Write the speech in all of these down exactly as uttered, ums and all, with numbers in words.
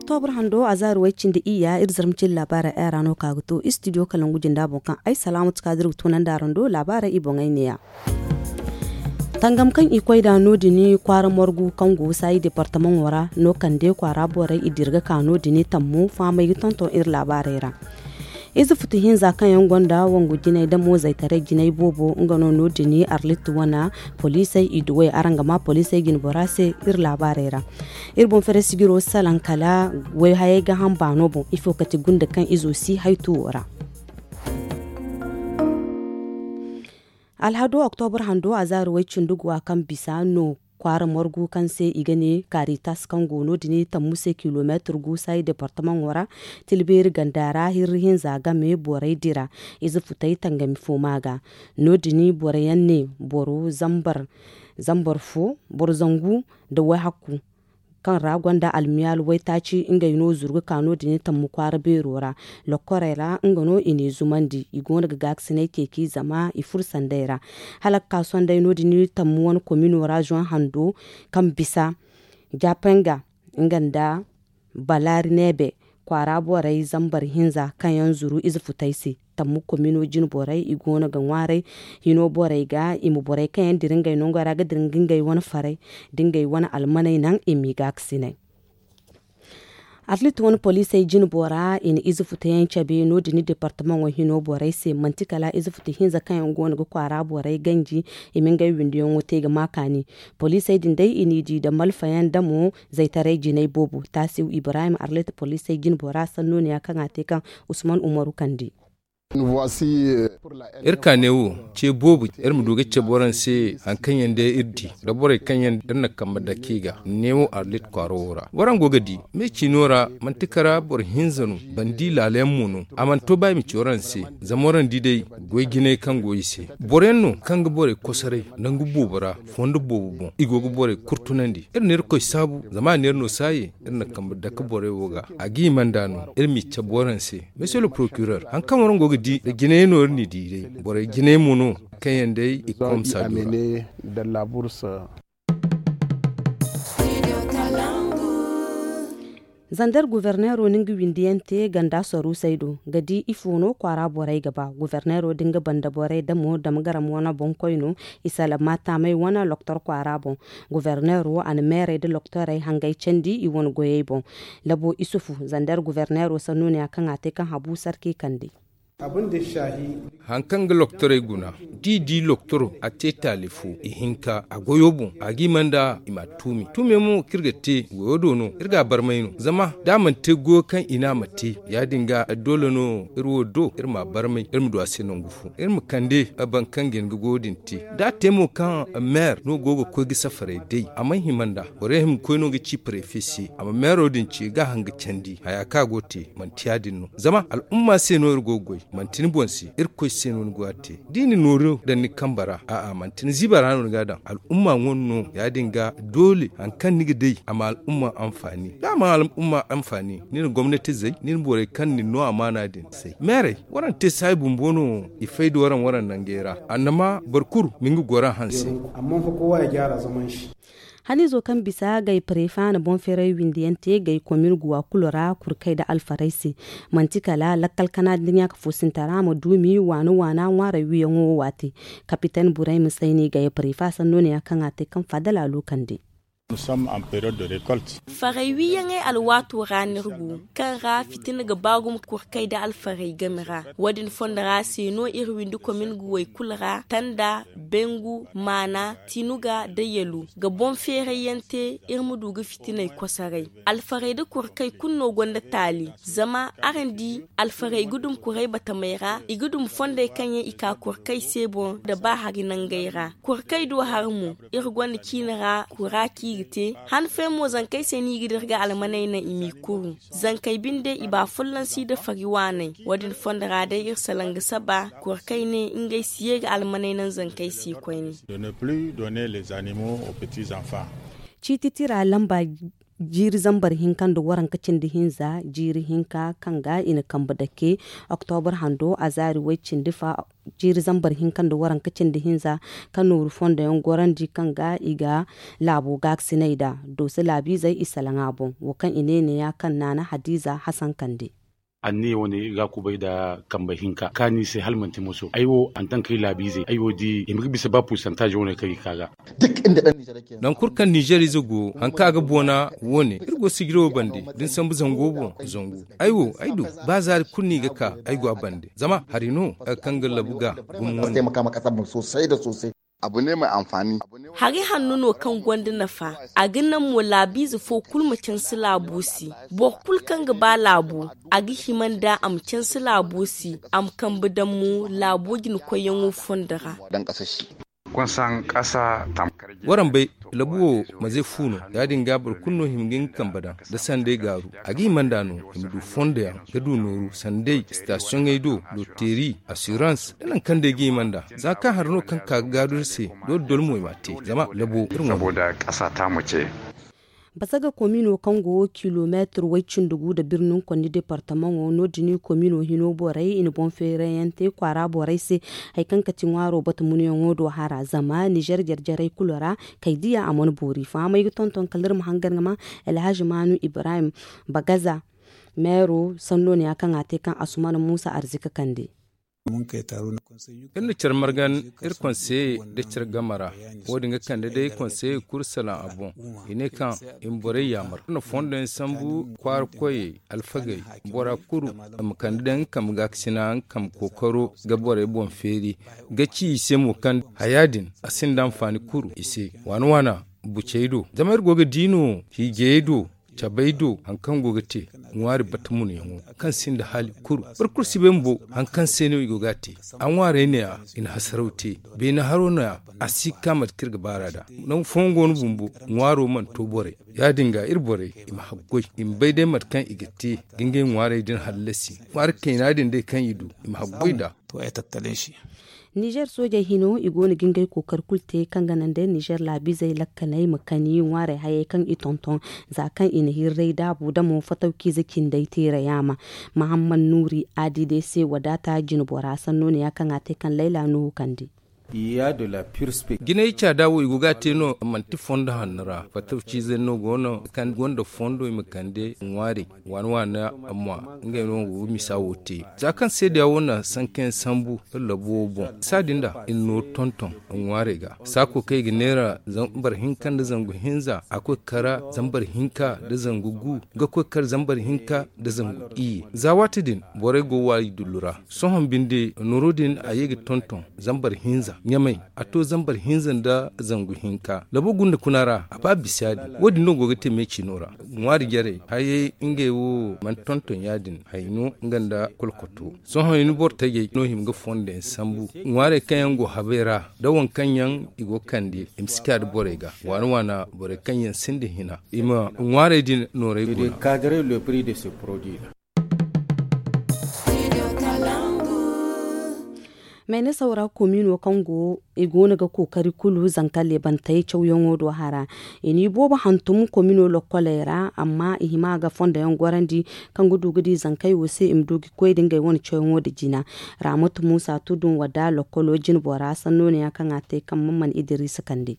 Oktobur hando a zaari way cindi iyya iri zarma cindi laabaarey ay ra no ka ga to istidiyo kalangu jinda boŋ kaŋ ay salaamatu kaadir ga tunandi araŋ do laabaarey i boŋey neeya. Tangam kaŋ i koy nd'a no- din kwaara margu kaŋ go saayi departamaŋo ra no kande kwaara borey i dira ga ka no- din tammu fahamey ga tonton iri laabaarey ra. Ize futu hinza kaŋ yaŋ gonda wangu jinay damo zaytaray jinay boobo nga no no- din arlit wana poliisey i duwey araŋ ga ma poliisey jinbora se iri laabaarey ra. Iri boŋ fere sijiro salaŋ kala wayhayey ga haŋ baano boŋ ifo kati gunda kaŋ izo si haytuwo ra. Alhado oktobur hando a zaari way cindi guwa kaŋ bisa no kwaara margu kaŋ se i ga ne karitas kaŋ go no- din tammu se kilomeetir gu saayi departamaŋo ra. Tilbeeri ganda ra hirri hinza game borey dira ize futey tangami fo ma ga. No- din boro yaŋ ne boro zambar zambar fo boro zangu nda wayhakku kaŋ ra gonda almiyaal waytaaci ngey no zuru ga ka no- din tammu kwaara beero ra. Lokkorey ra nga no i n'i zumandi i go no ga gaakasinay ceeci zama i furo sanday ra. Hala ga ka sonday no- din tammu wane komino ra zoŋ hando kaŋ bisa japenga nga nda balaari neebe kwaara borey zambar hinza kaŋ yaŋ zuru ize futey se. Tammu komino jine borey i go no ga ŋwaaray hino borey ga i ma borey kaŋ yaŋ dira ngey nongey ra ga dira nga ngey wane farey da ngey wane almaney naŋ i m'i gaakasinay. Arlit wane poliisey jine bora i na ize futa yaŋ cabe no- din departamaŋo hino borey se manti kala ize futa hinza kaŋ yaŋ go no ga kwaara borey ganji i ma ngey windiyaŋo te ga ma kaani. Poliisey din day i n'i di nda malfa yaŋ damo zaytaray jinay boobo taasiw ibrahim arlit poliisey jine bora sanno ne ya kaŋ a te kaŋ usman umaru kande. Iri ka neewo ce boobo iri ma du ga cabe waraŋ se hari kaŋ yaŋ day iri di da borey kaŋ yaŋ iri na kambe dake i ga neewo arlit kwaaro wo ra waraŋ go ga di me ciino ra manti kara boro hinza no bandi laala yaŋ mo no a mana to ba i ma ci waraŋ se. Zama waraŋ di day goy jinay kaŋ go i se boro yaŋ no kaŋ ga borey kosoray nangu boobo ra fondo boobo boŋ i go ga borey kurtunandi iri na irkoy saabu zama a na iri no saaye iri na kambe dake borey wo ga a ga hima nd'a no iri m'i cabe waraŋ se. Monsieur le procureur hari kaŋ waraŋ go ga di nda jinay no iri n'i di day borey jinay mo no kaŋ yaŋ day i ga komsa du ra. Zander guverneero na nga windiyaŋ te ganda saruusey do ga di ifo no kwaara borey ga ba guverneero da nga banda borey damo dama garam wane boŋkoy no. I salama taamey wane loktor kwaara boŋ guverneero a na meerey nda loktorey hangey candi i wane goyey boŋ. Labo isufu zander guverneero sanno ne ya kaŋ a te kaŋ habu sarki kande. Hari kaŋ ga loktorey guna da i di loktoro a te taali fo ihinka a goyo boŋ a ga i manda i m'a tuumi tuumey mo kaŋ iri ga te goyo do no iri ga a barmay no zama da a mana te goyo kaŋ i ne a ma te ya- din ga doole no iri wo do iri m'a barmay iri ma du a se nangu fo iri ma kande boro kaŋ ga hin ga goyo din te da a te mo kaŋ meer no go ga koy ga safaray day a mana hima nd'a borey hima ga koy no ga ci prefe se a ma meero din ce ga a haŋ ga candi haya kaŋ a go ga te manti ya- din no zama al'umma se no iri go ga goy manti ni boŋ se irkoy se no ni go ga te da i na nooru daŋ ni kambe ra a'a manti ni ziba ra no ni ga a daŋ al'umma wane no ya- din ga doole hari kaŋ ni ga day a ma al'umma anfaani da a mana al'umma anfaani ni na gomnatizey ni na borey kaŋ ni no amaana din se meerey waraŋ te saayi bumbo no i fay da waraŋ waraŋ nangey ra annama boro kulu ma nga goro a hanse. Haniizo kaŋ bisa gay pareefa na boŋ feeray windiyaŋ te gay komin guwa kulu ra kurkey nda alfarey se. Manti kala lakkal kana nda ɲaaka foosinta ra ma duumi waana waana ŋwaaray wiyaŋo wo waati. Kapiten burey ma sayni gay pareefa sanno ne ya kaŋ a te kaŋ faada laalo kande. Faray wiiyaŋey alwaato ra no iri go, kaŋ ra fitina ga ba gumo kurkey nda alfarey game ra. Wo- din fondo ra se no iri windi komin guwey kulu ra tanda, bengu, maana, tinuga nda yalu ga boŋ feerayyaŋ te iri ma du ga fitiney kosoray. Alfarey nda kurkey kulu no gonda taali zama araŋ di alfarey ga dum kuray batamey ra i ga dum fondey kaŋ yaŋ i ka kurkey se boŋ nda ba hari nangey ra. Kurkey do hari mo iri gonda ciine ra kura kaŋ i ga te han fooyaŋ mo zankey se no i ga dira ga almaney naŋ i m'i kuru. Zankey binde i ba folloŋ si nda fari waaney. Wo- din fondo ra day iri salaŋ ga saba kurkey ne ngey si ye ga almaney naŋ zankey se koyne. Ciiti tira lamba Jiiri zambar hinka nda waranka cindi hinza jiiri hinka kaŋ ga i na kambe dake, oktobur hando a zaari way cindi fa. Jiiri zambar hinka nda waranka cindi hinza ka nooru fondo yaŋ gorandi kaŋ ga i ga laabo gaakasinay nd'a. Dooso laabiizey i salaŋ a boŋ wo kaŋ i ne neeya kaŋ naana hadiiza hasan kande. Anniya wane ga kubay nda kambe hinka kaani se hala manti moso ay wo antankey laabiizey ay wo di i ma ga bisa ba pursantaazi wane kaŋ i ka ga. Nangu kulu kaŋ ninzeer ize go hari kaŋ a ga boona wo- ne iri go sijiro bande da ni sambu zango boŋ zangu. Ay wo ay du ba zaari kulu no i ga ka ay go a bande zama hari no kaŋ ga labu ga gumo wane. Hari hanno no kaŋ gonda nafa. A ga naŋ mo laabiize fo kulu ma canse laabo se. Boro kulu kaŋ ga ba laabo a ga hima nd'a a ma canse laabo se. A ma kambe daŋ mo laabo jina koyyaŋo fondo ra. Waraŋ bay labu wo maze fu no. Ya- din ga boro kulu no hima ga nga kambe daŋ da sanday gaaru. A ga hima nd'a no i ma du fondo yaŋ ga du nooru sanday sitasiyoŋey do, loteeri, asirans da nangu kaŋ day ga hima nd'a. Za kaŋ hari no kaŋ ka ga gaaru iri se. Dole dole mo i m'a te zama labo iri ŋwa. Basaga komino kaŋ go kilomeetir way cindi gu nda birnin konni departamaŋo no- din komino hino borey i na boŋ feerayaŋ te kwaara borey se. Hari kaŋ kati ŋwaaro bata munuyaŋo do hara zama nizer jarjaray kulu ra. Kay diya a mana boori fahamay ga tonton kala iri ma hangan ga ma. Alhazi maanu ibrahim bagaza meero sanno ne ya kaŋ a te kaŋ asumana muusa arzika kande. Iri na care margan iri konseye nda care game ra. Wo- din ga kande day konseye kulu salaŋ a boŋ. I ne kaŋ i ma borey yaamar iri na fondo yaŋ sambu kwaara koyey alfagey bora kulu ma kande day nga kambe gaakasina nga kambe kookaro ga borey boŋ feeri ga ci i se mo kaŋ haya din a sinda anfaani kulu i se. Waana waana bucey do zama iri go ga di no hiijayey do cabey do hari kaŋ go ga te ŋwaari bata munayaŋo kaŋ sinda haali kulu. Boro kulu si bay bumbo hari kaŋ se no i go ga a te. A ŋwaarey ne- ya i na hasaraw te beene haro no- ya a si ga ka mate kaŋ iri ga baar'a nd'a. Nangu fooyaŋ go no bumbo ŋwaaro mana to borey. Ya- din ga iri borey i ma haggoy i ma bay day mate kaŋ i ga te ga ngey ŋwaarey din hallasi. Ŋwaari kayna din day kaŋ i du i ma haggoy nd'a. Nizer soojey hino i go no ga ngey kookari kulu te kaŋ ga naŋ day nizer laabiizey lakkaley ma kani ŋwaarey hayey kaŋ i tonton. Za kaŋ i na hirray daabu damo fatawkiize cindey teera yaama. Mahamman nuuri aadi day se wadaata jinbora sanno ne ya kaŋ a te kaŋ layla nuhu kande. Jinay caada wo i go ga a te no manti fondo hanno ra fatawkiizey no go no kaŋ gonda fondo i ma kande ŋwaarey. Waana waana amma ngey no go ga misa wo te za kaŋ seedeya wo na sankayaŋ sambu iri labo wo boŋ. Saadin da i na nooru tonton ŋwaarey ga saako kaŋ i ga neera zambar hinka nda zangu hinza a koy ga kara zambar hinka nda zangu gu ga koy ga kara zambar hinka nda zangu iyye za waati din borey go waayi dullu ra. Sohõ binde nooro din a ye ga tonton zambar hinza ɲamay a to zambar hinza nda zangu hinka labo gunda kuna ra a ba bisa ya- din wo- din no go ga te meecino ra. Ŋwaari jarey hayey ngey wo mana tonton ya- din hay no nga nda kolkoto. Sohõ i na boro tajey no hima ga fondo yaŋ sambu ŋwaarey kaŋ yaŋ go habey ra nda waŋ kaŋ yaŋ i go ga kande i ma si ka nda borey ga waana waana borey kaŋ yaŋ sinda hina i ma ŋwaarey din noorey guna. Maynasawra komino kaŋ go i go no ga kookari kulu zanka leebantey cawyaŋo do hara. I n'i boobo hantum komino lokkoley ra amma i hima ga fondo yaŋ gorandi kaŋ ga du ga di zankey wo se i ma du ga koy da ngey wane cawyaŋo nda jina. Raamatu muusa tudun wadda lokkolo jinbora sanno ne ya kaŋ a te kaŋ man man idiriisa kande.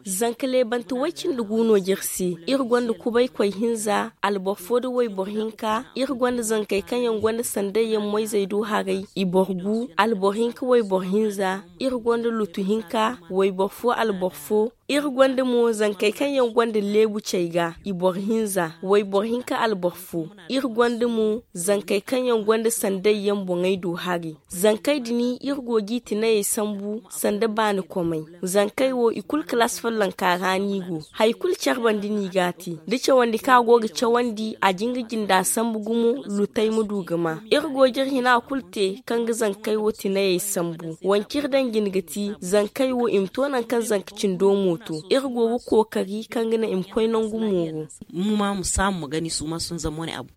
Zanka leebante way-cindi gu no jire se. Iri gonda kubaykoy hinza alboro fo nda wayboro hinka. Iri gonda zankey kaŋ yaŋ gonda sanday yaŋ moyzey do haray i boro gu. Alboro hinka wayboro hinza. Iri gonda lutu hinka wayboro fo alboro fo. Iri gonda mo zankey kaŋ yaŋ gonda leebu cey ga i boro hinza wayboro hinka alboro fo. Iri gonda mo zankey kaŋ yaŋ gonda sanday yaŋ boŋey do hari. Zankey din iri go g'i tinayey sambu sanda baani komey. Zankey wo i kulu kalaasi follonka ra no i go. Hari kulu care bande no i g'a te da cawandi kaŋ a go ga cawandi a jin ga jinda sambu gumo lutey ma du ga ma. Iri go ga iri hina kulu te kaŋ ga zankey wo tinayey sambu. Wanci iri daŋ jine ga ti zankey wo i ma to nangu kaŋ zanka cindo mo to. Iri go ga kookari kaŋ ga naŋ i ma koy nangu mooro. Mu ma ma saamu ma gani su ma sun zama wane abu.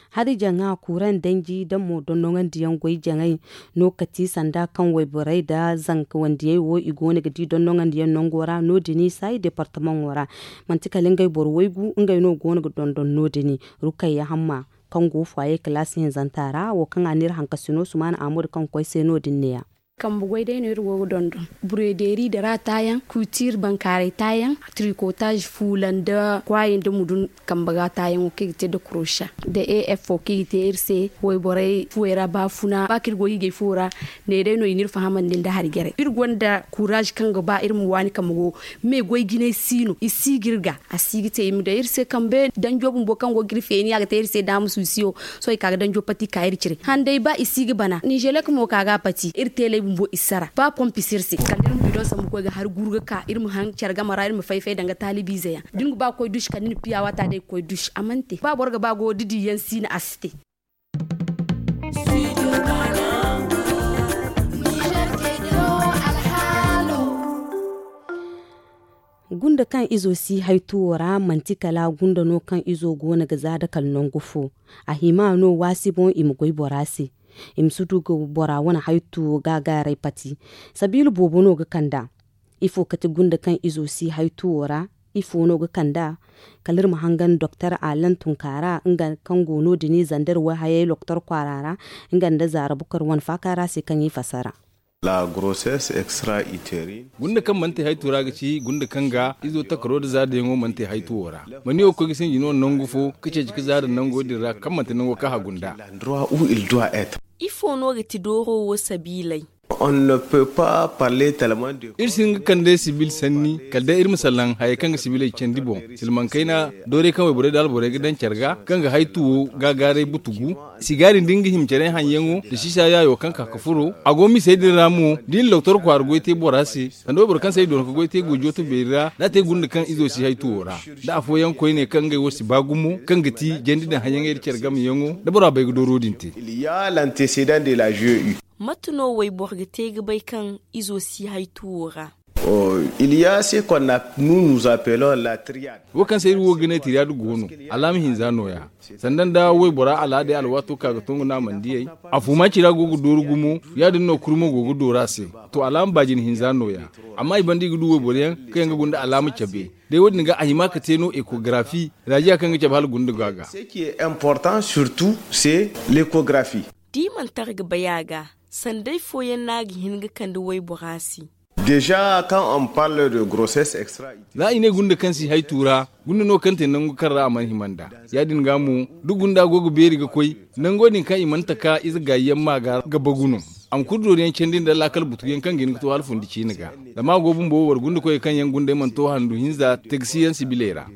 Hari jaŋa kuuraŋ danji da mo dondoŋandiyaŋ goy jaŋay no kati sanda kaŋ wayborey nda zanka wandiyey wo i go no ga di dondoŋandiyaŋ nango ra no- din i saayi deepartamaŋo ra. Manti kala ngey boro waygu ngey no go no ga dondon no- din. Rukayya hamma kaŋ go faaye kalaasi hinzanta ra wo kaŋ a n'iri hankasino sumaana aamadu kaŋ ga koy se no- din neeya. Kambe goy day no iri go ga dondon, bureederi nda ra taayaŋ, kuutiir bankaaray taayaŋ, tirikotaaz fuula nda kwaayaŋ nda mudun. Kambe ga taayaŋo kaŋ i ga te nda kurosa nda efo kaŋ i ga te iri se wayborey fuwey ra baafuna ba kaŋ iri go hiijay fuwo ra. Ne day no i n'iri fahamandi nda hari jarey iri gonda kuuraaz kaŋ ga ba iri ma waani kambe go. Me goy jinay si no i si ga iri ga a si ga te i ma daŋ iri se kambe danjo bumbo kaŋ go ga iri feeni a ga te iri se daama suusiyo. Sohõ i ka ga danjo pati ka iri cire handay ba i si ga bana ninzelek mo ka ga a pati iri teeley bumbo i sara ba pompi si iri se kala da iri ma bidoŋ sambu koy ga hari guru ga ka iri ma haŋ care game ra iri ma fay-fay daŋ ga taalibiize yaŋ da ni ga ba ga koy duusi kala ni na piya waata day ga koy duusi a mana te ba boro ga ba go da diiyaŋ si no a si te. Gunda kaŋ izo si hay tuwo ra manti kala gunda no kaŋ izo go no ga za da kala nangu fo. A hima no waasi boŋ i ma goy bora se i ma si du ga bora wane hay tuwo gaagaaray pati. Sabiila boobo no ga kand'a. Ifo kate gunda kaŋ izo si hay tuwo ra? Ifo no ga kand'a? Kala iri ma hangan doktor alan tunkaara nga kaŋ go no- din i zandar wayhayey loktor kwaara ra nga nda zaara bukar wane faaka ra se kaŋ i fassara. Gunda kaŋ mana te haytu ra ga ci gunda kaŋ ga izo takaro nda zaadayaŋo mana te haytu wo ra. Ma ni wo ga koy ga sinji no nangu fo ga ceeci ga zaada nango din ra kaŋ manti nango kaŋ a gunda. Ifo no ga ti dooro wo sabiiley? Iri si hin ga kande sibil sanni kala day iri ma salaŋ hayey kaŋ ga sibiley candi boŋ. Silmaŋ kayna doorey kaŋ wayborey nda alborey ga daŋ care ga kaŋ ga haytu wo gaagaaray butugu. Sigaari nda nga hima care haŋyaŋo nda sisa yaayo kaŋ ka ga furo a go misey din ra mo da i na loktor kwaara goy te bora se. Sanda wayboro kaŋ se ay doona ga goy te go jooto beeri ra da a te gunda kaŋ izo si hay tuwo ra. Da afooyaŋ koyne kaŋ ngey wo si ba gumo kaŋ ga ti jandi daŋ haŋyaŋey nda care gameyaŋo da bora bay ga dooro din te. Mate no wayboro ga te ga bay kaŋ izo si hay tuwo ra? Wo kaŋ se iri wo ga ne tiriyad go no. Alaama hinza nooya sanda nda waybora alaadey alwaato ka ga tongu no a mana diyey. Afuma cira go ga dooru gumo ya- din no kurmo go ga dooru a se. To alaama baajin hinza nooya. Amma i banda i ga du wayboro yaŋ kaŋ yaŋ ga guna nda alaama cabe. Day wo- din ga a hima ga te no ekogarafi raajiya kaŋ ga cabe hala guna nda go a ga. Da i mana tara ga bay a ga sanda ifooyaŋ no a ga hin ga kande waybora se? Za i ne gunda kaŋ si hay tuura gunda no kaŋ te nangu kaŋ ra a mana hima nd'a. Ya- din ga mo da gunda go ga beeri ga koy nango din kaŋ i mana taka ize gaayi yaŋ ma ga ga bagu no. A ma kulu doori yaŋ candi nda laakal butugu yaŋ kaŋ ga hin ga to hala fundi ciine ga. Zama a go bumbo wara gunda koyey kaŋ yaŋ gundey mana to handu hinza tegsi yaŋ sibiley ra.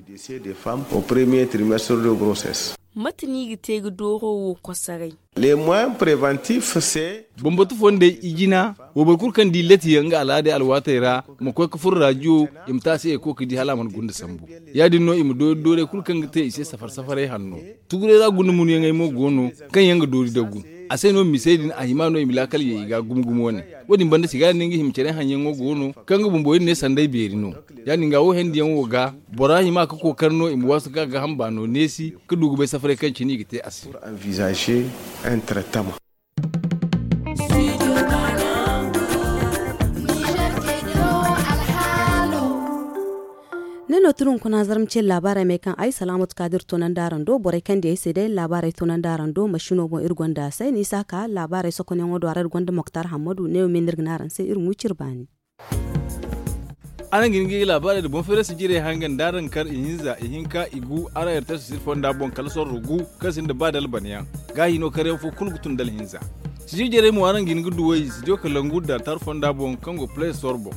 Mate no i ga te ga dooro wo kosoray? Bambatu fondey i jina. Wayboro kulu kaŋ di leti yaŋ nga alaadey alwaatey ra ma koy ga furo raajiyo i ma te a se eko ga di hala a mana gunda sambu. Ya- din no i ma doori doorey kulu kaŋ ga te i se safar safaray hanno. Tuguray ra gunda munuyaŋey mo go no kaŋ yaŋ ga doori dagu. A se no misey din a hima no i ma laakal ye i ga gumo gumo wane. Wo- din banda sigaari no nga hima care haŋyaŋo go no kaŋ ga bumbo iri ne sanday beeri no. Ya- din ga wo hendiyaŋo ga bora hima ga kookari no i ma waasu ga ga hamba no neesi ga du ga bay safaray kaŋ cine i ga te a se. Ne no tun hunkuna zarma ce laabaarey me kaŋ ay salaamatu kaadir tunandi araŋ do borey kaŋ di ay se day laabaarey tunandi araŋ do masino boŋ iri gonda say ni si a ka laabaarey sokonyaŋo do a ra iri gonda moktar hammadu ne wo me no iri ga ne araŋ se iri ŋuuci iri baani. Araŋ ga hin ga i ga laabaarey nda boŋ feerasi jirey haŋ ga nda araŋ kar ihinza ihinka igu araŋ erterse siri fonda boŋ kala sorro gu kaŋ sinda ba dalbanayaŋ. Gaahi no karyaŋ fo kulu ga tun dala hinza. Sijir jarey mo araŋ ga hin ga duwey sidiyo kalangu da altar fonda boŋ kaŋ go play store boŋ.